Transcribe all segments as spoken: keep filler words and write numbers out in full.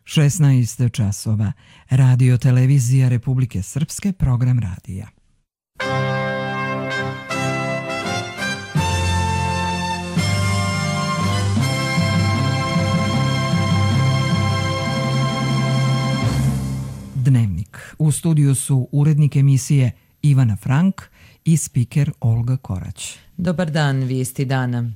šesnaest časova. Radio Televizija Republike Srpske, program radija. Dnevnik. U studiju su urednik emisije Ivana Frank i spiker Olga Korać. Dobar dan, vijesti dana.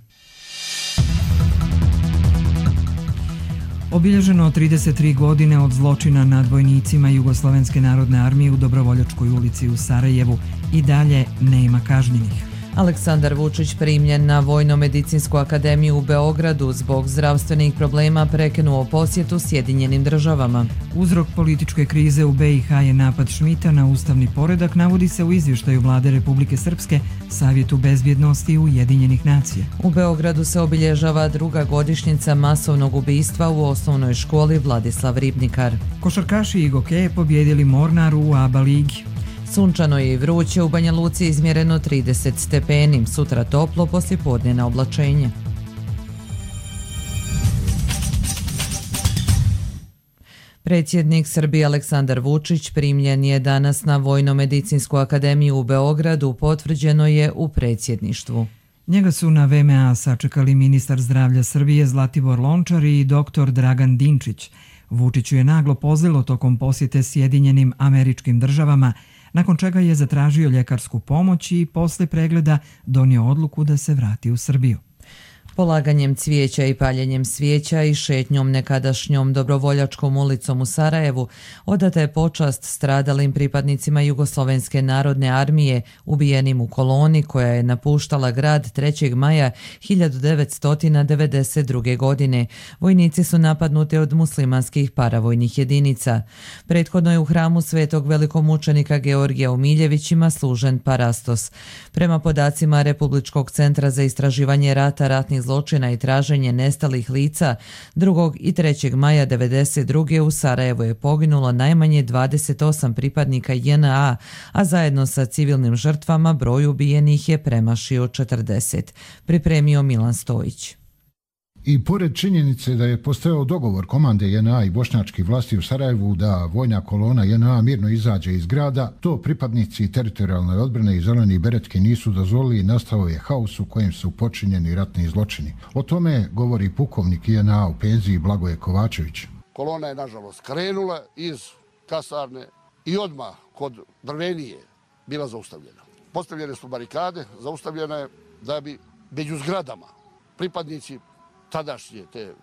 Obilježeno trideset tri godine od zločina nad vojnicima Jugoslovenske narodne armije u Dobrovoljačkoj ulici u Sarajevu i dalje nema kažnjenih. Aleksandar Vučić primljen na Vojno-medicinsku akademiju u Beogradu zbog zdravstvenih problema prekinuo posjetu Sjedinjenim državama. Uzrok političke krize u be i ha je napad Šmita na ustavni poredak, navodi se u izvještaju Vlade Republike Srpske Savjetu bezbjednosti Ujedinjenih nacija. U Beogradu se obilježava druga godišnjica masovnog ubistva u osnovnoj školi Vladislav Ribnikar. Košarkaši i gokeje pobjedili Mornar u A B A ligi. Sunčano je i vruće, u Banja Luci izmjereno trideset stepeni, sutra toplo, poslijepodnevno oblačenje. Predsjednik Srbije Aleksandar Vučić primljen je danas na Vojno-medicinsku akademiju u Beogradu, potvrđeno je u predsjedništvu. Njega su na ve eme a sačekali ministar zdravlja Srbije Zlatibor Lončar i doktor Dragan Dinčić. Vučiću je naglo pozlilo tokom posjete Sjedinjenim Američkim Državama, nakon čega je zatražio ljekarsku pomoć i posle pregleda donio odluku da se vrati u Srbiju. Polaganjem cvijeća i paljenjem svijeća i šetnjom nekadašnjom Dobrovoljačkom ulicom u Sarajevu odata je počast stradalim pripadnicima Jugoslovenske narodne armije ubijenim u koloni koja je napuštala grad trećeg maja hiljadu devetsto devedeset druge. godine. Vojnici su napadnuti od muslimanskih paravojnih jedinica. Prethodno je u hramu svetog velikomučenika Georgija u Miljevićima služen parastos. Prema podacima Republičkog centra za istraživanje rata, ratnih zločina i traženje nestalih lica, drugog i trećeg maja devedeset druge. u Sarajevu je poginulo najmanje dvadeset osam pripadnika je en a, a zajedno sa civilnim žrtvama broj ubijenih je premašio četrdeset. Pripremio Milan Stojić. I pored činjenice da je postojao dogovor komande je en a i bošnjačkih vlasti u Sarajevu da vojna kolona je en a mirno izađe iz grada, to pripadnici teritorijalne odbrane i zeleni beretke nisu dozvolili i nastao je haos u kojem su počinjeni ratni zločini. O tome govori pukovnik je en a u penziji Blagoje Kovačević. Kolona je nažalost krenula iz kasarne i odmah kod Drvenije bila zaustavljena. Postavljene su barikade, zaustavljena je da bi među zgradama pripadnici tadašnje te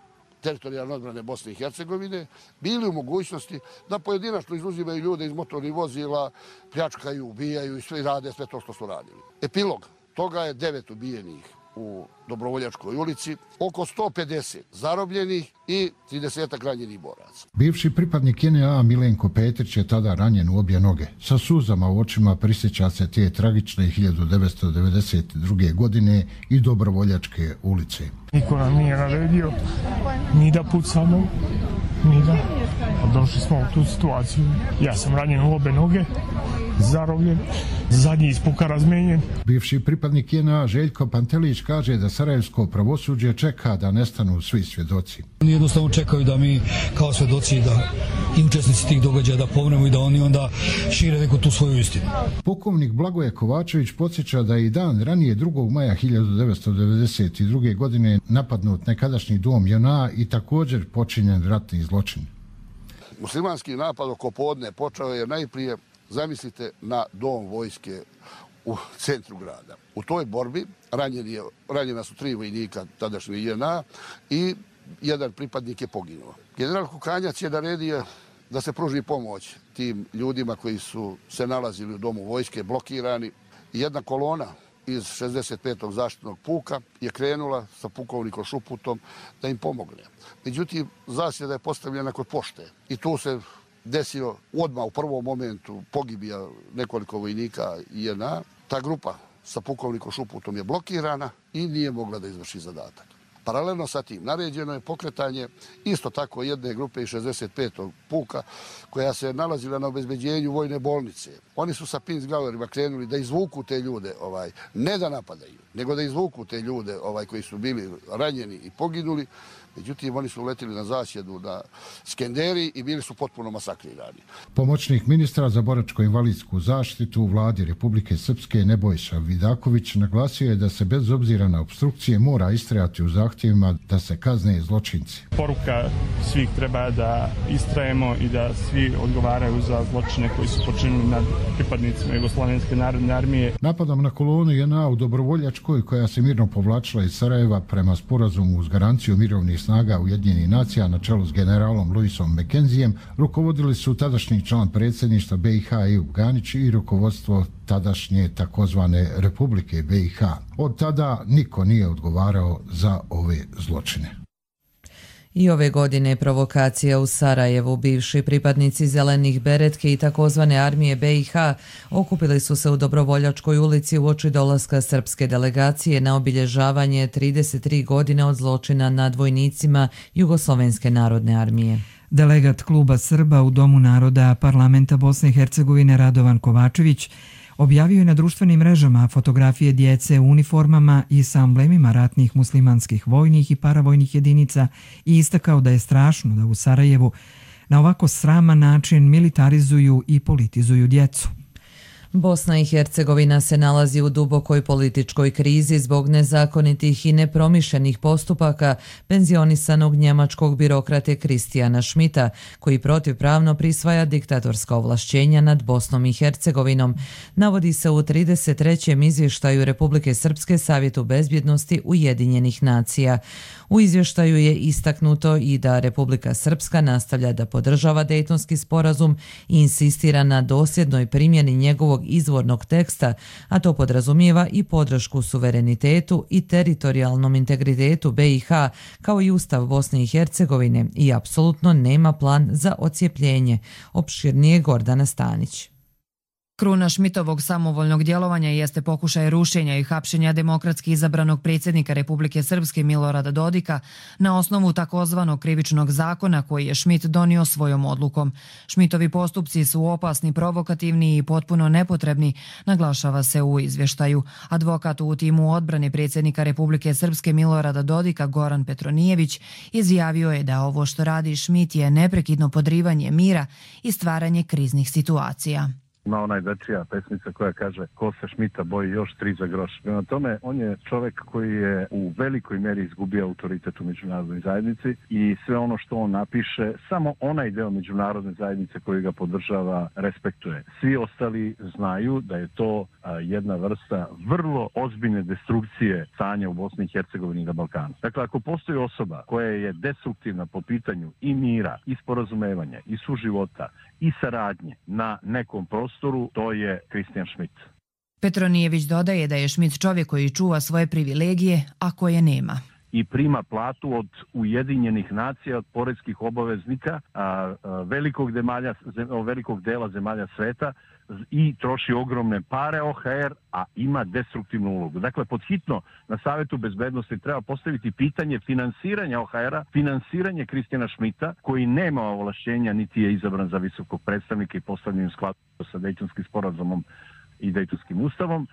teritorijalne odbrane Bosne i Hercegovine bili u mogućnosti da pojedinačno izuzimaju ljude iz motornih vozila, pljačkaju, ubijaju i sve rade sve to što su radili. Epilog toga je devet ubijenih u Dobrovoljačkoj ulici, oko sto pedeset zarobljenih i trideset ranjenih boraca. Bivši pripadnik je en a Milenko Petrić je tada ranjen u obje noge. Sa suzama u očima prisjeća se te tragične hiljadu devetsto devedeset druge. godine i Dobrovoljačke ulice. Niko nam nije naredio ni da pucamo, ni da. Došli smo u tu situaciju. Ja sam ranjen u obe noge, zarobljen, zadnji iz puka razmenjen. Bivši pripadnik je en a Željko Pantelić kaže da sarajevsko pravosuđe čeka da nestanu svi svjedoci. Oni jednostavno čekaju da mi kao svjedoci da i učesnici tih događaja da pomremo i da oni onda šire neku tu svoju istinu. Pukovnik Blagoje Kovačević podsjeća da je i dan ranije drugog maja hiljadu devetsto devedeset druge. godine napadnut nekadašnji dom je en a i također počinjen ratni zločin. Muslimanski napad oko podne počeo je najprije, zamislite, na dom vojske u centru grada. U toj borbi ranjeni je, ranjena su tri vojnika tadašnje je en a i jedan pripadnik je poginuo. General Kukanjac je naredio da se pruži pomoć tim ljudima koji su se nalazili u domu vojske, blokirani. Jedna kolona iz šezdeset petog zaštitnog puka je krenula sa pukovnikom Šuputom da im pomogne. Međutim, zasjeda je postavljena kod pošte i tu se desio odmah u prvom momentu pogibija nekoliko vojnika je en a. Ta grupa sa pukovnikom Šuputom je blokirana i nije mogla da izvrši zadatak. Paralelno sa tim naređeno je pokretanje isto tako jedne grupe iz šezdeset petog puka koja se nalazila na obezbeđenju vojne bolnice. Oni su sa Pinzgauerima krenuli da izvuku te ljude, ovaj, ne da napadaju, nego da izvuku te ljude ovaj, koji su bili ranjeni i poginuli. Međutim, oni su uletili na zasjedu na Skenderi i bili su potpuno masakrirani. Pomoćnik ministra za boračko-invalidsku zaštitu u vladi Republike Srpske Nebojša Vidaković naglasio je da se bez obzira na opstrukcije mora istrajati u zahtjevima da se kazne zločinci. Poruka svih treba da istrajemo i da svi odgovaraju za zločine koji su počinili nad pripadnicima Jugoslovenske narodne armije. Napadom na kolonu J N A u Dobrovoljačkoj, koja se mirno povlačila iz Sarajeva prema sporazumu uz garanciju mirovnih snaga Ujedinjenih nacija na čelu s generalom Luisom Mekenzijem, rukovodili su tadašnji član predsjedništva B i H Ejup Ganić i rukovodstvo tadašnje takozvane Republike B i H. Od tada niko nije odgovarao za ove zločine. I ove godine provokacija u Sarajevu. Bivši pripadnici Zelenih beretke i takozvane armije B i H okupili su se u Dobrovoljačkoj ulici uoči dolaska srpske delegacije na obilježavanje trideset tri godine od zločina nad vojnicima Jugoslovenske narodne armije. Delegat Kluba Srba u Domu naroda Parlamenta Bosne i Hercegovine Radovan Kovačević objavio je na društvenim mrežama fotografije djece u uniformama i sa amblemima ratnih muslimanskih vojnih i paravojnih jedinica i istakao da je strašno da u Sarajevu na ovako sraman način militarizuju i politizuju djecu. Bosna i Hercegovina se nalazi u dubokoj političkoj krizi zbog nezakonitih i nepromišljenih postupaka penzionisanog njemačkog birokrate Kristijana Schmidta, koji protivpravno prisvaja diktatorska ovlašćenja nad Bosnom i Hercegovinom, navodi se u trideset trećem izvještaju Republike Srpske Savjetu bezbjednosti Ujedinjenih nacija. U izvještaju je istaknuto i da Republika Srpska nastavlja da podržava Dejtonski sporazum i insistira na dosljednoj primjeni njegovog izvornog teksta, a to podrazumijeva i podršku suverenitetu i teritorijalnom integritetu B i H, kao i Ustav Bosne i Hercegovine, i apsolutno nema plan za odcijepljenje. Opširnije Gordana Stanić. Kruna Schmidtovog samovoljnog djelovanja jeste pokušaj rušenja i hapšenja demokratski izabranog predsjednika Republike Srpske Milorada Dodika na osnovu takozvanog krivičnog zakona koji je Schmidt donio svojom odlukom. Schmidtovi postupci su opasni, provokativni i potpuno nepotrebni, naglašava se u izvještaju. Advokat u timu odbrane predsjednika Republike Srpske Milorada Dodika Goran Petronijević izjavio je da ovo što radi Schmidt je neprekidno podrivanje mira i stvaranje kriznih situacija. Ima ona dečija pesmica koja kaže ko se Schmidta boji još tri za groš. Prema tome, on je čovjek koji je u velikoj mjeri izgubio autoritet u međunarodnoj zajednici i sve ono što on napiše, samo onaj deo međunarodne zajednice koji ga podržava respektuje. Svi ostali znaju da je to a, jedna vrsta vrlo ozbiljne destrukcije stanja u Bosni i Hercegovini i na Balkanu. Dakle, ako postoji osoba koja je destruktivna po pitanju i mira, i sporazumevanja, i suživota, i saradnje na nekom prostoru, to je Kristijan Schmidt. Petronijević dodaje da je Schmidt čovjek koji čuva svoje privilegije, a koje nema. I prima platu od Ujedinjenih nacija, od poreskih obaveznika a, a, velikog, demalja, zem, velikog dela zemalja sveta i troši ogromne pare O H R, a ima destruktivnu ulogu. Dakle, podhitno na Savjetu bezbednosti treba postaviti pitanje finansiranja O H R-a, finansiranje Kristijana Schmidta, koji nema ovlašćenja niti je izabran za visokog predstavnika i postavljen u skladu sa Dejtonskim sporazumom i Dejtonskim ustavom.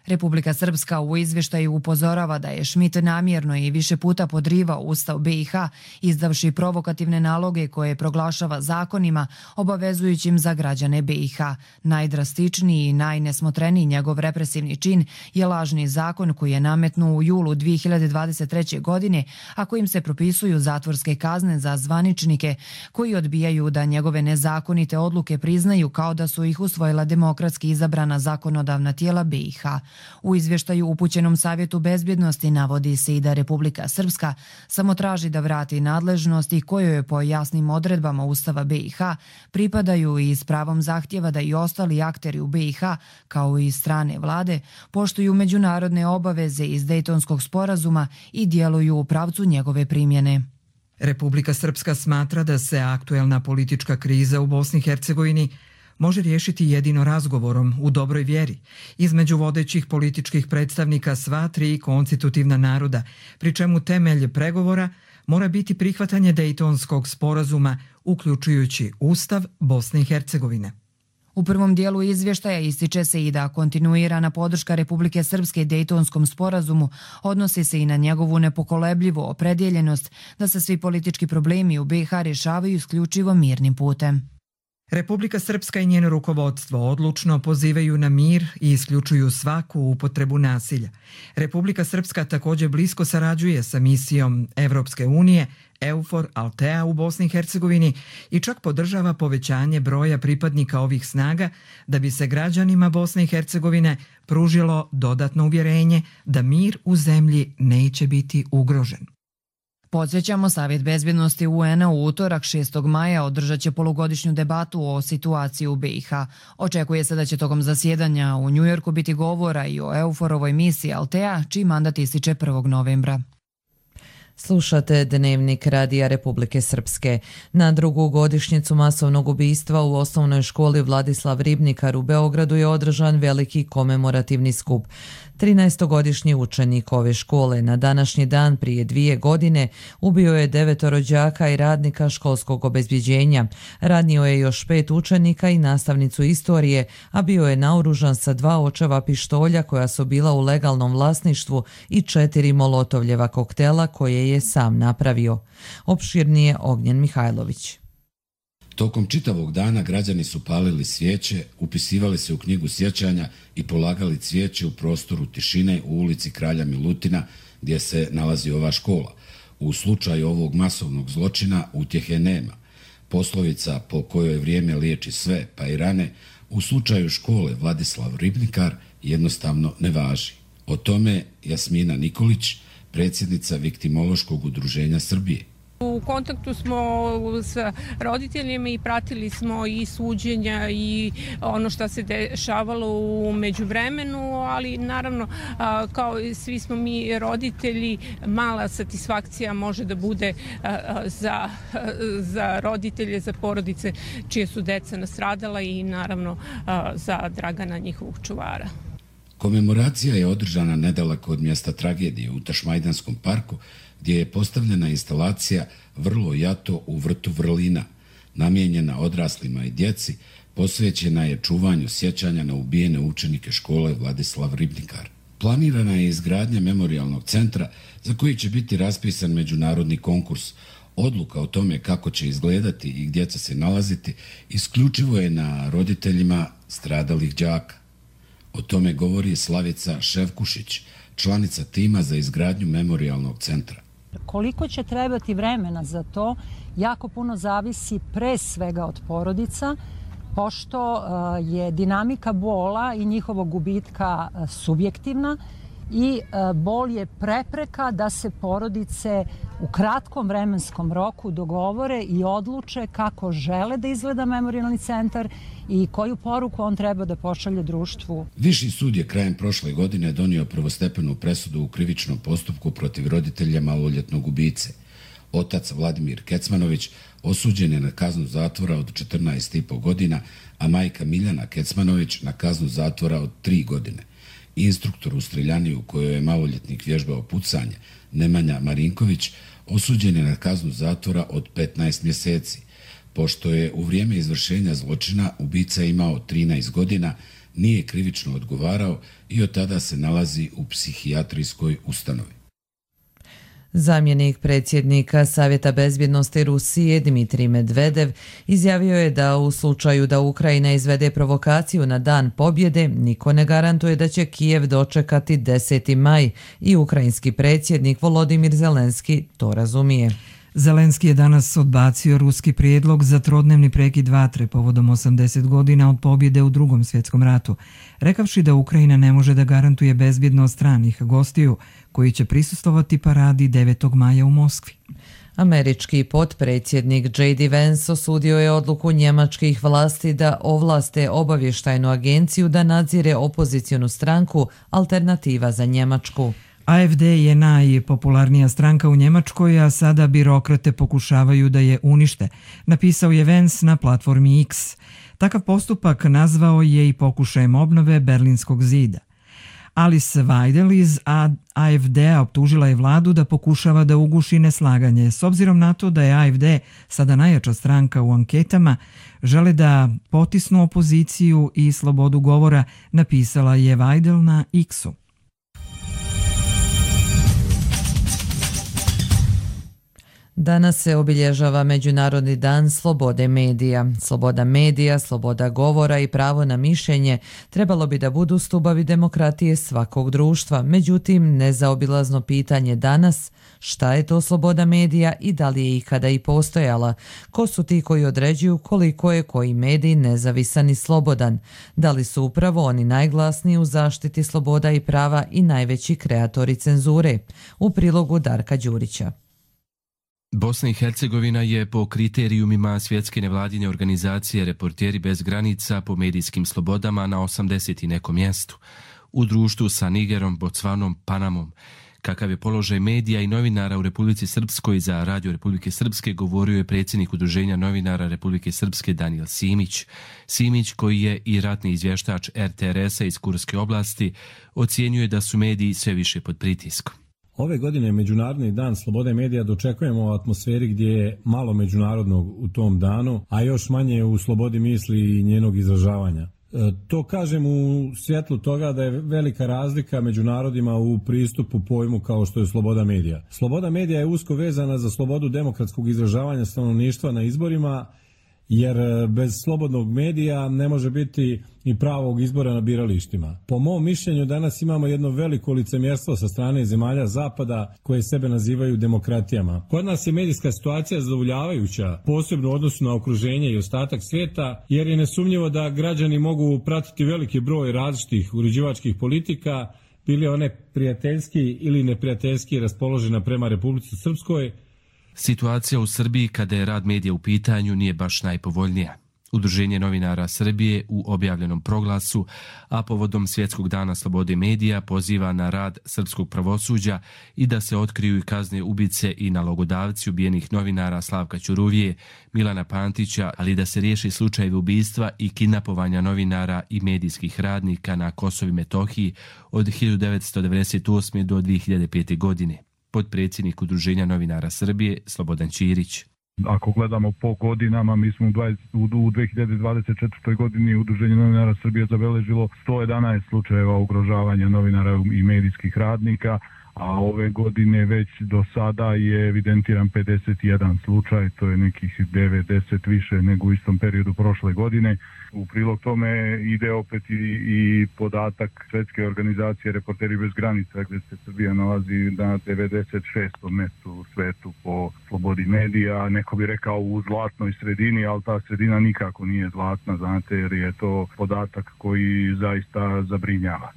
Republika Srpska u izvještaju upozorava da je Schmidt namjerno i više puta podrivao Ustav B i H, izdavši provokativne naloge koje proglašava zakonima obavezujućim za građane B i H. Najdrastičniji i najnesmotreniji njegov represivni čin je lažni zakon koji je nametnuo u julu dvije hiljade dvadeset treće. godine, a kojim se propisuju zatvorske kazne za zvaničnike koji odbijaju da njegove nezakonite odluke priznaju kao da su ih usvojila demokratski izabrana zakonodavna tijela B i H. U izvještaju upućenom Savjetu bezbjednosti navodi se i da Republika Srpska samo traži da vrati nadležnosti koje je po jasnim odredbama Ustava B i H pripadaju i s pravom zahtjeva da i ostali akteri u B i H, kao i strane vlade, poštuju međunarodne obaveze iz Dejtonskog sporazuma i djeluju u pravcu njegove primjene. Republika Srpska smatra da se aktuelna politička kriza u Bosni i Hercegovini može riješiti jedino razgovorom u dobroj vjeri između vodećih političkih predstavnika sva tri konstitutivna naroda, pri čemu temelj pregovora mora biti prihvatanje Dejtonskog sporazuma, uključujući Ustav Bosne i Hercegovine. U prvom dijelu izvještaja ističe se i da kontinuirana podrška Republike Srpske Dejtonskom sporazumu odnosi se i na njegovu nepokolebljivu opredjeljenost da se svi politički problemi u B i H rješavaju isključivo mirnim putem. Republika Srpska i njeno rukovodstvo odlučno pozivaju na mir i isključuju svaku upotrebu nasilja. Republika Srpska također blisko sarađuje sa misijom Evropske unije EUFOR Altea u Bosni i Hercegovini i čak podržava povećanje broja pripadnika ovih snaga da bi se građanima Bosne i Hercegovine pružilo dodatno uvjerenje da mir u zemlji neće biti ugrožen. Podsjećamo, Savjet bezbjednosti U N-a u utorak šestog maja održat će polugodišnju debatu o situaciji u B i H. Očekuje se da će tokom zasjedanja u Njujorku biti govora i o EUFOR-ovoj misiji Altea, čiji mandat ističe prvog novembra. Slušate Dnevnik Radija Republike Srpske. Na drugu godišnjicu masovnog ubistva u osnovnoj školi Vladislav Ribnikar u Beogradu je održan veliki komemorativni skup. trinaestogodišnji učenik ove škole na današnji dan prije dvije godine ubio je devetoro đaka i radnika školskog obezbjeđenja. Ranio je još pet učenika i nastavnicu istorije, a bio je naoružan sa dva očeva pištolja koja su bila u legalnom vlasništvu i četiri molotovljeva koktela koje je sam napravio. Opširnije Ognjen Mihajlović. Tokom čitavog dana građani su palili svijeće, upisivali se u knjigu sjećanja i polagali cvijeće u prostoru tišine u ulici Kralja Milutina gdje se nalazi ova škola. U slučaju ovog masovnog zločina utjehe nema. Poslovica po kojoj vrijeme liječi sve, pa i rane, u slučaju škole Vladislav Ribnikar jednostavno ne važi. O tome Jasmina Nikolić, predsjednica Viktimološkog udruženja Srbije. U kontaktu smo sa roditeljima i pratili smo i suđenja i ono što se dešavalo u međuvremenu, ali naravno kao i svi smo mi roditelji, mala satisfakcija može da bude za, za roditelje, za porodice čije su deca nastradala i naravno za Dragana, njihovog čuvara. Komemoracija je održana nedaleko od mjesta tragedije u Tašmajdanskom parku, gdje je postavljena instalacija Vrlo jato u vrtu vrlina, namijenjena odraslima i djeci, posvećena je čuvanju sjećanja na ubijene učenike škole Vladislav Ribnikar. Planirana je izgradnja memorijalnog centra za koji će biti raspisan međunarodni konkurs. Odluka o tome kako će izgledati i gdje će se nalaziti isključivo je na roditeljima stradalih đaka. O tome govori Slavica Ševkušić, članica tima za izgradnju memorijalnog centra. Koliko će trebati vremena za to, jako puno zavisi pre svega od porodica, pošto je dinamika bola i njihovog gubitka subjektivna i bol je prepreka da se porodice u kratkom vremenskom roku dogovore i odluče kako žele da izgleda memorijalni centar i koju poruku on treba da pošalje društvu. Viši sud je krajem prošle godine donio prvostepenu presudu u krivičnom postupku protiv roditelja maloljetnog ubice. Otac Vladimir Kecmanović osuđen je na kaznu zatvora od četrnaest i po godina, a majka Miljana Kecmanović na kaznu zatvora od tri godine. Instruktor u streljani u kojoj je maloljetnik vježbao pucanje, Nemanja Marinković, osuđen je na kaznu zatvora od petnaest mjeseci. Pošto je u vrijeme izvršenja zločina ubica imao trinaest godina, nije krivično odgovarao i od tada se nalazi u psihijatrijskoj ustanovi. Zamjenik predsjednika Savjeta bezbjednosti Rusije Dmitrij Medvedev izjavio je da u slučaju da Ukrajina izvede provokaciju na dan pobjede, niko ne garantuje da će Kijev dočekati deseti maj i ukrajinski predsjednik Volodimir Zelenski to razumije. Zelenski je danas odbacio ruski prijedlog za trodnevni prekid vatre povodom osamdeset godina od pobjede u Drugom svjetskom ratu, rekavši da Ukrajina ne može da garantuje bezbjednost stranih gostiju koji će prisustvovati paradi devetog maja u Moskvi. Američki potpredsjednik J D Vance osudio je odluku njemačkih vlasti da ovlaste obavještajnu agenciju da nadzire opozicijonu stranku Alternativa za Njemačku. A F D je najpopularnija stranka u Njemačkoj, a sada birokrate pokušavaju da je unište, napisao je Vance na platformi X. Takav postupak nazvao je i pokušajem obnove Berlinskog zida. Alice Weidel iz A F D-a optužila je vladu da pokušava da uguši neslaganje. S obzirom na to da je A F D sada najjača stranka u anketama, žele da potisnu opoziciju i slobodu govora, napisala je Weidel na X-u. Danas se obilježava Međunarodni dan slobode medija. Sloboda medija, sloboda govora i pravo na mišljenje trebalo bi da budu stubovi demokratije svakog društva. Međutim, nezaobilazno pitanje danas, šta je to sloboda medija i da li je ikada i postojala? Ko su ti koji određuju koliko je koji medij nezavisan i slobodan? Da li su upravo oni najglasniji u zaštiti sloboda i prava i najveći kreatori cenzure? U prilogu Darka Đurića. Bosna i Hercegovina je po kriterijumima svjetske nevladine organizacije Reporteri bez granica po medijskim slobodama na osamdeset i nekom mjestu. U društvu sa Nigerom, Botsvanom, Panamom. Kakav je položaj medija i novinara u Republici Srpskoj za Radio Republike Srpske govorio je predsjednik Udruženja novinara Republike Srpske Danijel Simić. Simić, koji je i ratni izvještač R T R S-a iz Kurske oblasti, ocjenjuje da su mediji sve više pod pritiskom. Ove godine Međunarodni dan slobode medija dočekujemo u atmosferi gdje je malo međunarodnog u tom danu, a još manje u slobodi misli i njenog izražavanja. E, to kažem u svjetlu toga da je velika razlika među narodima u pristupu pojmu kao što je sloboda medija. Sloboda medija je usko vezana za slobodu demokratskog izražavanja stanovništva na izborima, jer bez slobodnog medija ne može biti ni pravog izbora na biralištima. Po mom mišljenju danas imamo jedno veliko licemjerstvo sa strane zemalja Zapada koje sebe nazivaju demokratijama. Kod nas je medijska situacija zadovoljavajuća, posebno u odnosu na okruženje i ostatak svijeta, jer je nesumnjivo da građani mogu pratiti veliki broj različitih uređivačkih politika, bili one prijateljski ili neprijateljski raspoložena prema Republici Srpskoj. Situacija u Srbiji kada je rad medija u pitanju nije baš najpovoljnija. Udruženje novinara Srbije u objavljenom proglasu, a povodom Svjetskog dana slobode medija, poziva na rad srpskog pravosuđa i da se otkriju i kazne ubice i nalogodavci ubijenih novinara Slavka Ćuruvije, Milana Pantića, ali da se riješi slučajevi ubistva i kidnapovanja novinara i medijskih radnika na Kosovu i Metohiji od hiljadu devetsto devedeset osme. do dvije hiljade pete. godine. Potpredsjednik Udruženja novinara Srbije Slobodan Ćirić. Ako gledamo po godinama, mi smo u dvije hiljade dvadeset četvrtoj. godini Udruženje novinara Srbije zabeležilo sto jedanaest slučajeva ugrožavanja novinara i medijskih radnika, a ove godine već do sada je evidentiran pedeset jedan slučaj, to je nekih devedeset više nego u istom periodu prošle godine. U prilog tome ide opet i, i podatak Svjetske organizacije Reporteri bez granica, gdje se Srbija nalazi na devedeset šestom mjestu u svetu po slobodi medija. Neko bi rekao u zlatnoj sredini, ali ta sredina nikako nije zlatna, znate, jer je to podatak koji zaista zabrinjava.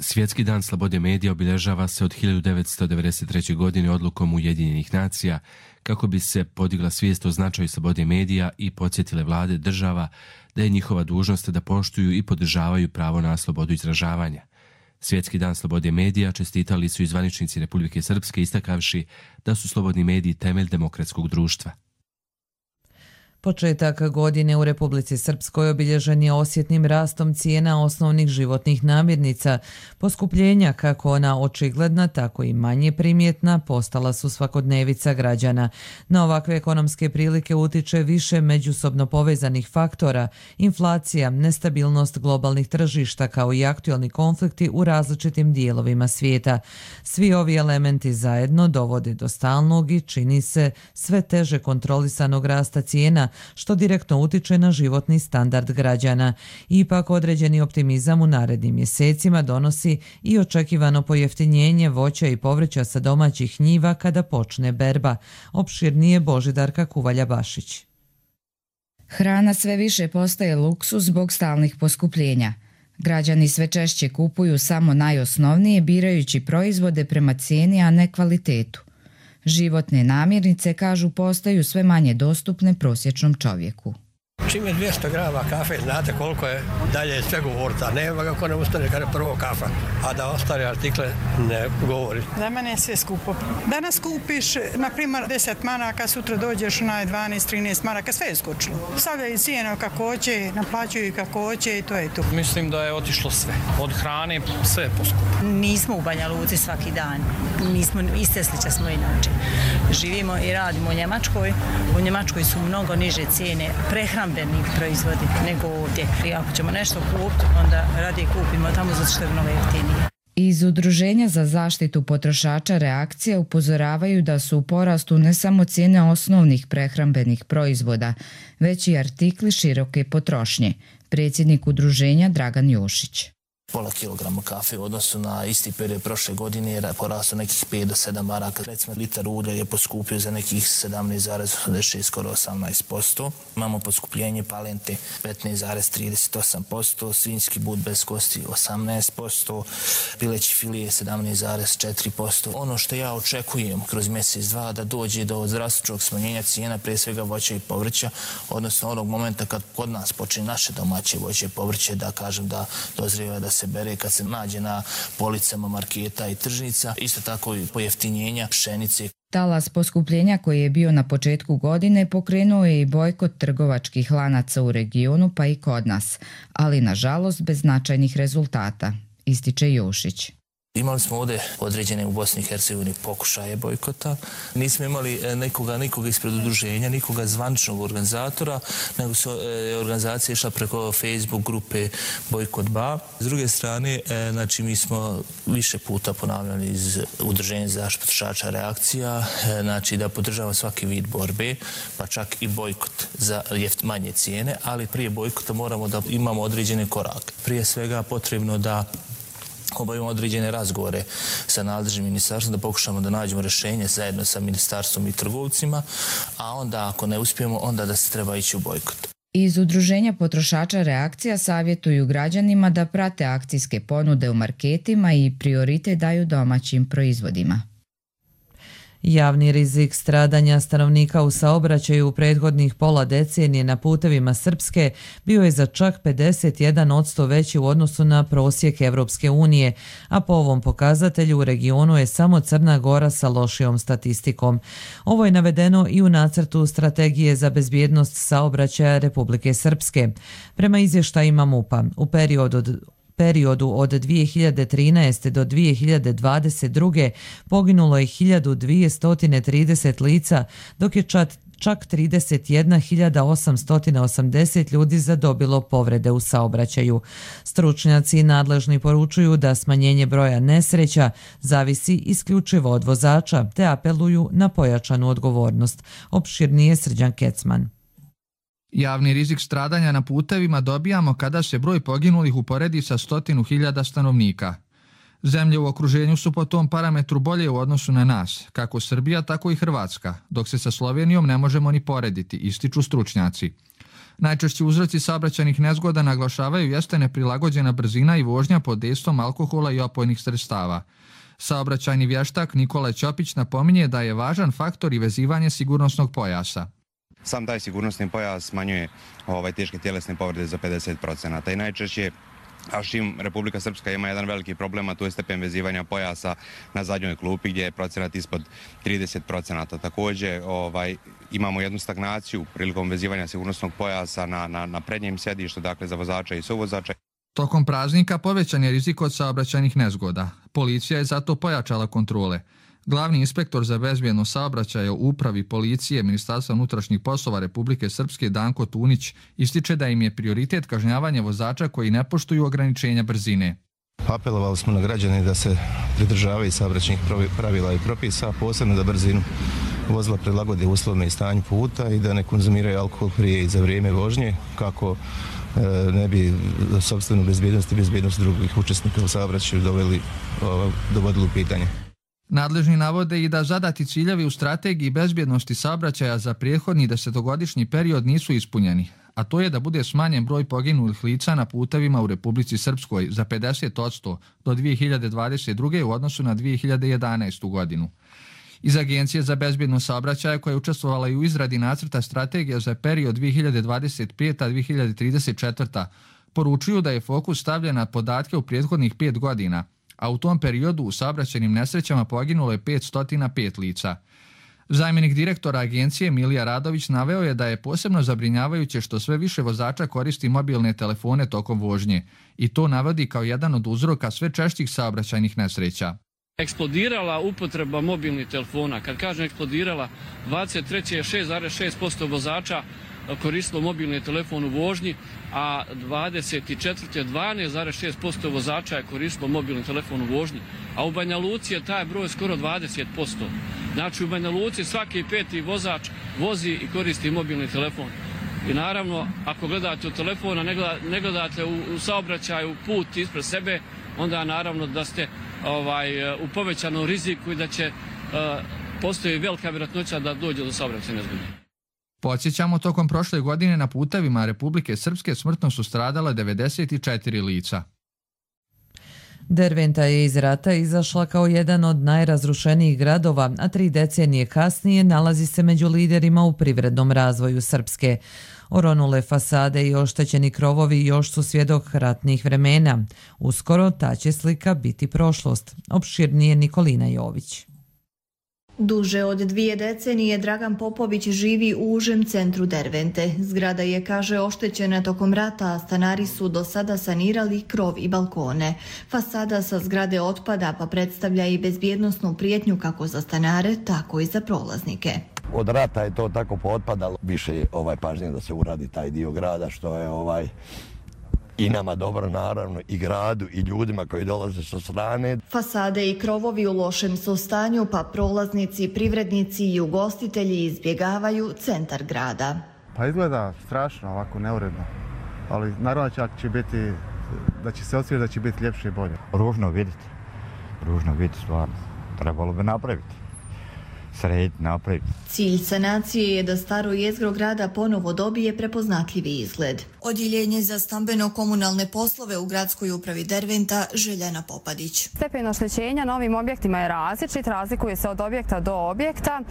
Svjetski dan slobode medija obilježava se od hiljadu devetsto devedeset treće. godine odlukom Ujedinjenih nacija kako bi se podigla svijest o značaju slobode medija i podsjetile vlade država da je njihova dužnost da poštuju i podržavaju pravo na slobodu izražavanja. Svjetski dan slobode medija čestitali su i zvaničnici Republike Srpske istakavši da su slobodni mediji temelj demokratskog društva. Početak godine u Republici Srpskoj obilježen je osjetnim rastom cijena osnovnih životnih namirnica. Poskupljenja, kako ona očigledna, tako i manje primjetna, postala su svakodnevica građana. Na ovakve ekonomske prilike utiče više međusobno povezanih faktora, inflacija, nestabilnost globalnih tržišta kao i aktualni konflikti u različitim dijelovima svijeta. Svi ovi elementi zajedno dovode do stalnog i, čini se, sve teže kontrolisanog rasta cijena, što direktno utiče na životni standard građana. Ipak određeni optimizam u narednim mjesecima donosi i očekivano pojeftinjenje voća i povrća sa domaćih njiva kada počne berba. Opširnije Božidarka Kuvalja-Bašić. Hrana sve više postaje luksuz zbog stalnih poskupljenja. Građani sve češće kupuju samo najosnovnije, birajući proizvode prema cijeni, a ne kvalitetu. Životne namirnice, kažu, postaju sve manje dostupne prosječnom čovjeku. Čim je dvjesto grama kafe, znate koliko je dalje sve govorita. Nema ga ko ne ustane kada je prvo kafa, a da ostale artikle ne govori. Za mene je sve skupo. Danas kupiš, na primjer, deset maraka, sutra dođeš na dvanaest trinaest maraka, sve je skočilo. Stavljaju cijene kako hoće, naplaćuju kako hoće i to je to. Mislim da je otišlo sve. Od hrane sve je poskupo. Nismo u Banja Luci svaki dan. Mi smo iz Teslića smo inače. Živimo i radimo u Njemačkoj. U Njemačkoj su mnogo niže cijene prehrambeni proizvodi nego ovdje. I ako ćemo nešto kupiti, onda radije kupimo tamo zato što je mnogo jeftinije. Iz Udruženja za zaštitu potrošača Reakcije upozoravaju da su u porastu ne samo cijene osnovnih prehrambenih proizvoda, već i artikli široke potrošnje. Predsjednik udruženja Dragan Jošić. Pola kilograma kafe u odnosu na isti period prošle godine je porastao nekih pet do sedam maraka. Recimo, litar ulja je poskupio za nekih sedamnaest zarez osamdeset šest, skoro osamnaest posto. Imamo poskupljenje palente petnaest zarez trideset osam posto, svinjski but bez kosti osamnaest posto, pileći filije sedamnaest zarez četiri posto. Ono što ja očekujem kroz mjesec dva da dođe do drastičnog smanjenja cijena, prije svega voća i povrća, odnosno onog momenta kad kod nas počne naše domaće voće i povrće, da kažem da dozrijeva da se bere kad se nađe na policama marketa i tržnica, isto tako i pojeftinjenja pšenice. Talas poskupljenja koji je bio na početku godine pokrenuo je i bojkot trgovačkih lanaca u regionu pa i kod nas, ali nažalost bez značajnih rezultata, ističe Jošić. Imali smo ovdje određene u Bosni i Hercegovini pokušaje bojkota. Nismo imali nikoga, nikoga ispred udruženja, nikoga zvančnog organizatora, nego su organizacije išla preko Facebook grupe Bojkot Ba. S druge strane, znači, mi smo više puta ponavljali iz Udruženja za zaštitu potrošača Reakcija, znači da podržavamo svaki vid borbe, pa čak i bojkot za manje cijene, ali prije bojkota moramo da imamo određene korake. Prije svega potrebno da obavimo određene razgovore sa nadležnim ministarstvom, da pokušamo da nađemo rješenje zajedno sa ministarstvom i trgovcima, a onda ako ne uspijemo, onda da se treba ići u bojkot. Iz Udruženja potrošača Reakcija savjetuju građanima da prate akcijske ponude u marketima i prioritet daju domaćim proizvodima. Javni rizik stradanja stanovnika u saobraćaju u prethodnih pola decenije na putevima Srpske bio je za čak pedeset jedan posto veći u odnosu na prosjek Evropske unije, a po ovom pokazatelju u regionu je samo Crna Gora sa lošijom statistikom. Ovo je navedeno i u nacrtu strategije za bezbjednost saobraćaja Republike Srpske. Prema izvještajima MUP-a, u periodu od periodu od dvije hiljade trinaeste. do dvije hiljade dvadeset druge. poginulo je hiljadu dvjesto trideset lica, dok je čak čak trideset jedna hiljada osamsto osamdeset ljudi zadobilo povrede u saobraćaju. Stručnjaci nadležni poručuju da smanjenje broja nesreća zavisi isključivo od vozača, te apeluju na pojačanu odgovornost. Opširnije Srđan Kecman. Javni rizik stradanja na putevima dobijamo kada se broj poginulih uporedi sa stotinu hiljada stanovnika. Zemlje u okruženju su po tom parametru bolje u odnosu na nas, kako Srbija, tako i Hrvatska, dok se sa Slovenijom ne možemo ni porediti, ističu stručnjaci. Najčešći uzroci saobraćajnih nezgoda naglašavaju jeste neprilagođena brzina i vožnja pod dejstvom alkohola i opojnih sredstava. Saobraćajni vještak Nikola Ćopić napominje da je važan faktor i vezivanje sigurnosnog pojasa. Sam taj sigurnosni pojas smanjuje ovaj, teške tjelesne povrede za pedeset procenata i najčešće, a s čim Republika Srpska ima jedan veliki problem, a to je stepen vezivanja pojasa na zadnjoj klupi gdje je procenat ispod trideset procenata. Također ovaj, imamo jednu stagnaciju prilikom vezivanja sigurnosnog pojasa na, na, na prednjem sjedištu, dakle za vozača i suvozača. Tokom praznika povećan je rizik od saobraćajnih nezgoda. Policija je zato pojačala kontrole. Glavni inspektor za bezbjednost saobraćaja u upravi policije Ministarstva unutrašnjih poslova Republike Srpske Danko Tunić ističe da im je prioritet kažnjavanje vozača koji ne poštuju ograničenja brzine. Apelovali smo na građane da se pridržavaju saobraćajnih pravila i propisa, posebno da brzinu vozila prilagode uslovima i stanju puta i da ne konzumiraju alkohol prije i za vrijeme vožnje, kako ne bi sopstvenu bezbjednost i bezbjednost drugih učesnika u saobraćaju doveli, dovodili u pitanje. Nadležni navode i da zadati ciljevi u strategiji bezbjednosti saobraćaja za prethodni desetogodišnji period nisu ispunjeni, a to je da bude smanjen broj poginulih lica na putevima u Republici Srpskoj za pedeset posto do dvije hiljade dvadeset druge. u odnosu na dvije hiljade jedanaestu. godinu. Iz Agencije za bezbjednost saobraćaja, koja je učestvovala i u izradi nacrta strategije za period dvije hiljade dvadeset peta do dvije hiljade trideset četvrta, poručuju da je fokus stavljen na podatke u prethodnih pet godina, a u tom periodu u saobraćajnim nesrećama poginulo je petsto pet lica. Zamjenik direktora agencije Milija Radović naveo je da je posebno zabrinjavajuće što sve više vozača koristi mobilne telefone tokom vožnje i to navodi kao jedan od uzroka sve češćih saobraćajnih nesreća. Eksplodirala upotreba mobilnih telefona. Kad kažem eksplodirala, dvadeset treće je šest zarez šest posto vozača koristilo mobilni telefon u vožnji, a dvadeset četvrte dvanaest zarez šest posto vozača je koristilo mobilni telefon u vožnji, a u Banja Luci je taj broj skoro dvadeset posto. Znači u Banja Luci svaki peti vozač vozi i koristi mobilni telefon. I naravno, ako gledate u telefon, a ne gledate u, u saobraćaju put ispred sebe, onda naravno da ste ovaj, u povećanom riziku i da će uh, postoji velika vjerojatnoća da dođe do saobraćajne nezgode. Podsjećamo, tokom prošle godine na putevima Republike Srpske smrtno su stradala devedeset četiri lica. Derventa je iz rata izašla kao jedan od najrazrušenijih gradova, a tri decenije kasnije nalazi se među liderima u privrednom razvoju Srpske. Oronule fasade i oštećeni krovovi još su svjedok ratnih vremena. Uskoro ta će slika biti prošlost. Opširnije Nikolina Jović. Duže od dvije decenije Dragan Popović živi u užem centru Dervente. Zgrada je, kaže, oštećena tokom rata, a stanari su do sada sanirali krov i balkone. Fasada sa zgrade otpada, pa predstavlja i bezbjednosnu prijetnju kako za stanare, tako i za prolaznike. Od rata je to tako pootpadalo. Više je ovaj pažnje da se uradi taj dio grada, što je ovaj i nama dobro, naravno, i gradu i ljudima koji dolaze sa strane. Fasade i krovovi u lošem su stanju, pa prolaznici, privrednici i ugostitelji izbjegavaju centar grada. Pa izgleda strašno, ovako neuredno, ali naravno čak će biti, da će se osvijeti da će biti ljepše i bolje. Ružno vidjeti, ružno vidjeti stvarno, trebalo bi napraviti. Srediti, napraviti. Cilj sanacije je da staro jezgro grada ponovo dobije prepoznatljivi izgled. Odjeljenje za stambeno-komunalne poslove u gradskoj upravi Derventa, Željana Popadić. Stepen oštećenja novim objektima je različit, razlikuje se od objekta do objekta,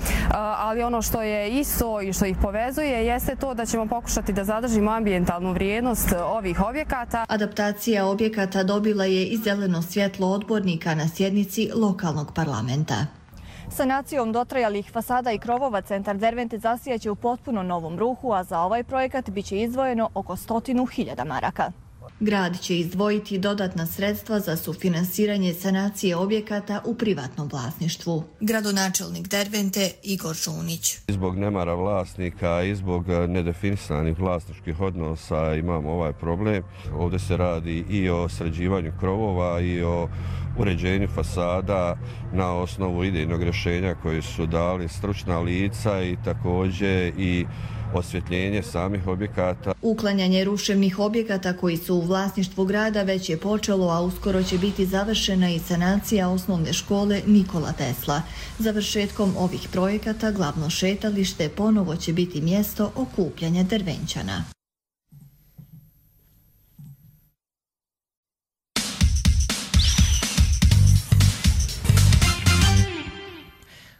ali ono što je isto i što ih povezuje jeste to da ćemo pokušati da zadržimo ambijentalnu vrijednost ovih objekata. Adaptacija objekata dobila je i zeleno svjetlo odbornika na sjednici lokalnog parlamenta. Sanacijom dotrajalih fasada i krovova centar Dervente zasijaće u potpuno novom ruhu, a za ovaj projekat biće izdvojeno oko stotinu hiljada maraka. Grad će izdvojiti dodatna sredstva za sufinansiranje sanacije objekata u privatnom vlasništvu. Gradonačelnik Dervente Igor Žunić. Zbog nemara vlasnika i zbog nedefinisanih vlasničkih odnosa imamo ovaj problem. Ovdje se radi i o sređivanju krovova i o uređenju fasada na osnovu idejnog rješenja koje su dali stručna lica i također i osvjetljenje samih objekata. Uklanjanje ruševnih objekata koji su u vlasništvu grada već je počelo, a uskoro će biti završena i sanacija osnovne škole Nikola Tesla. Završetkom ovih projekata glavno šetalište ponovo će biti mjesto okupljanja Dervenčana.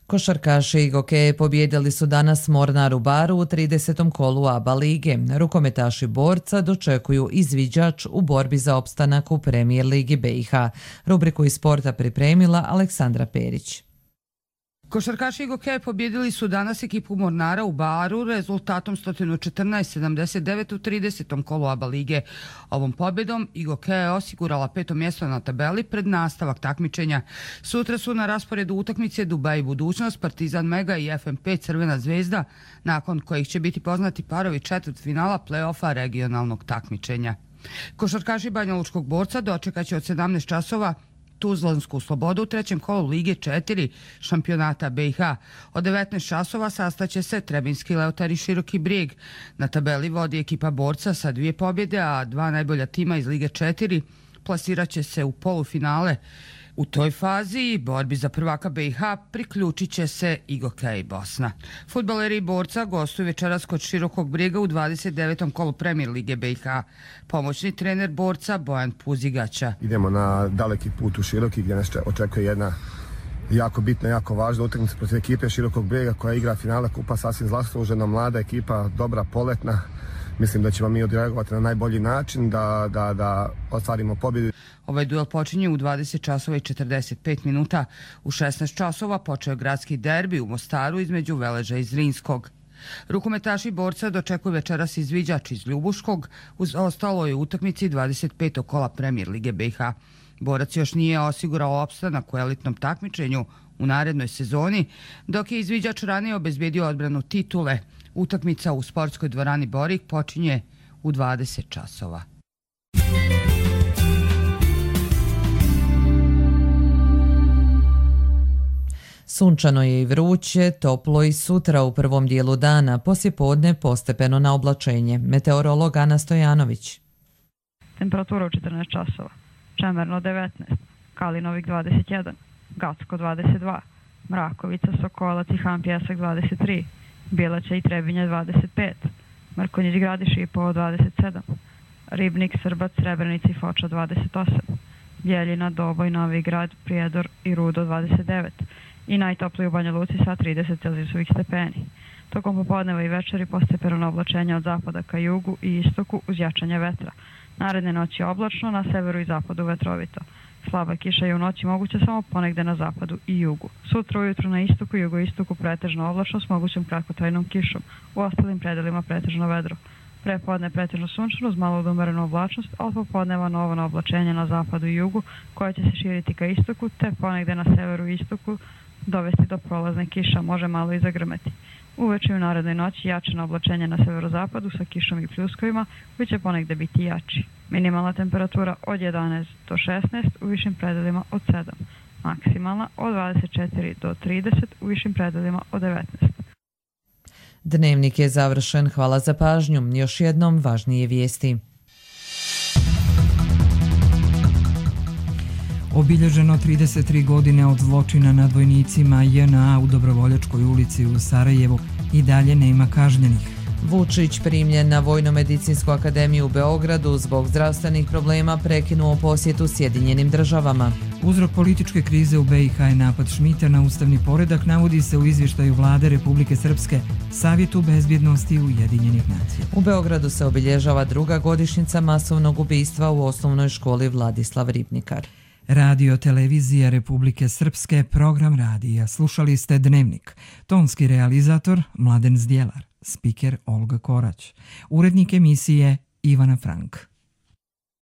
Košarkaši i gokeje pobjedili su danas Mornar u Baru u tridesetom kolu ABA lige. Rukometaši Borca dočekuju izviđač u borbi za opstanak u Premijer ligi B i H. Rubriku iz sporta pripremila Aleksandra Perić. Košarkaši i gokeje pobjedili su danas ekipu Mornara u Baru rezultatom sto četrnaest sedamdeset devet u tridesetom kolu ABA lige. Ovom pobjedom i gokeja je osigurala peto mjesto na tabeli pred nastavak takmičenja. Sutra su na rasporedu utakmice Dubaj budućnost, Partizan Mega i F M P Crvena zvezda, nakon kojih će biti poznati parovi četvrtfinala play-offa regionalnog takmičenja. Košarkaši Banjalučkog Borca dočekaće od sedamnaest časova Tuzlansku Slobodu u trećem kolu Lige četiri šampionata B i H. Od devetnaest časova sastaće se Trebinski Leotar i Široki Brijeg. Na tabeli vodi ekipa Borca sa dvije pobjede, a dva najbolja tima iz Lige četiri plasirat će se u polufinale. U toj fazi borbi za prvaka B i H priključit će se i Gokej Bosna. Fudbaleri Borca gostuju večeras kod Širokog Brijega u dvadeset devetom kolu Premijer lige B i H. Pomoćni trener Borca Bojan Puzigaća. Idemo na daleki put u Široki gdje nas očekuje jedna jako bitna, jako važna utakmica protiv ekipe Širokog Brijega koja igra finale kupa, sasvim zaslužena, mlada ekipa, dobra, poletna. Mislim da ćemo mi odreagovati na najbolji način da, da, da ostvarimo pobjedu. Ovaj duel počinje u dvadeset časova i četrdeset pet minuta. U šesnaest časova počeo je gradski derbi u Mostaru između Veleža i Zrinskog. Rukometaši Borca dočekuju večeras izviđač iz Ljubuškog uz ostaloj utakmici dvadeset petog kola Premijer Lige B i H. Borac još nije osigurao opstanak u elitnom takmičenju u narednoj sezoni, dok je izviđač ranije obezbedio odbranu titule. Utakmica u sportskoj dvorani Borik počinje u dvadeset časova. Sunčano je i vruće, toplo i sutra u prvom dijelu dana, poslijepodne postepeno na oblačenje. Meteorolog Ana Stojanović. Temperatura u četrnaest časova. Čemerno devetnaest, Kalinovik dvadeset jedan, Gacko dvadeset dva, Mrakovica, Sokolac i Han Pjesak dvadeset tri, Bjelaća i Trebinje dvadeset pet, Mrkonjić, Gradiš i Povo dvadeset sedam, Ribnik, Srbac, Srebrenica i Foča dvadeset osam, Bjeljina, Doboj, Novi Grad, Prijedor i Rudo dvadeset devet i najtopliji u Banja Luci sa trideset celzijusovih stepeni. Tokom popodneva i večeri postepeno oblačenje od zapada ka jugu i istoku uz jačanje vetra. Naredne noći oblačno, na severu i zapadu vetrovito. Slaba kiša je u noći moguća samo ponegde na zapadu i jugu. Sutra ujutru na istoku i jugoistoku pretežno oblačno s mogućom kratkotrajnom kišom. U ostalim predelima pretežno vedro. Prepodne pretežno sunčano uz malo umerenu oblačnost, a od popodneva novo oblačenje na zapadu i jugu koje će se širiti ka istoku, te ponegde na severu i istoku dovesti do prolazne kiša, može malo i zagrmeti. Uveče u narednoj noći jačeno oblačenje na severozapadu sa kišom i pljuskovima koji će ponegde biti jači. Minimalna temperatura od jedanaest do šesnaest, u višim predelima od sedam. Maksimalna od dvadeset četiri do trideset, u višim predelima od devetnaest. Dnevnik je završen. Hvala za pažnju. Još jednom važnije vijesti. Obilježeno trideset tri godine od zločina nad vojnicima J N A u Dobrovoljačkoj ulici u Sarajevu i dalje nema kažnjenih. Vučić primljen na Vojno-medicinsku akademiju u Beogradu zbog zdravstvenih problema prekinuo posjetu Sjedinjenim državama. Uzrok političke krize u B i H je napad Šmita na ustavni poredak, navodi se u izvještaju Vlade Republike Srpske, Savjetu bezbjednosti Ujedinjenih nacija. U Beogradu se obilježava druga godišnjica masovnog ubistva u osnovnoj školi Vladislav Ribnikar. Radio Televizija Republike Srpske, program radija. Slušali ste Dnevnik. Tonski realizator Mladen Zdjelar, spiker Olga Korać, urednik emisije Ivana Frank.